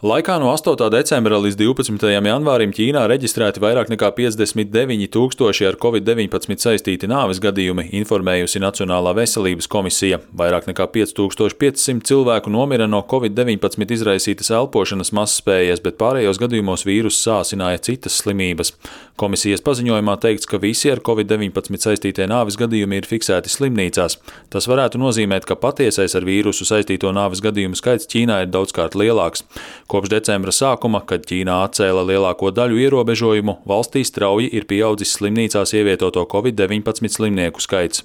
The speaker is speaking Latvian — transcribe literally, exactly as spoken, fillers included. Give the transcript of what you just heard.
Laikā no astotā decembra līdz divpadsmitajam janvārim Ķīnā reģistrēti vairāk nekā piecdesmit deviņi tūkstoši ar covid deviņpadsmit saistīti nāves gadījumi, informējusi Nacionālā veselības komisija. Vairāk nekā pieci tūkstoši pieci simti cilvēku nomira no covid deviņpadsmit izraisītas elpošanas mazspējas, bet pārējos gadījumos vīruss sāsināja citas slimības. Komisijas paziņojumā teikts, ka visi ar covid deviņpadsmit saistītie nāves gadījumi ir fiksēti slimnīcās. Tas varētu nozīmēt, ka patiesais ar vīrusu saistīto nāves gadījumu skaits Ķīnā ir daudzkārt lielāks. Kopš decembra sākuma, kad Ķīnā atcēla lielāko daļu ierobežojumu, valstī strauji ir pieaudzis slimnīcās ievietoto covid deviņpadsmit slimnieku skaits.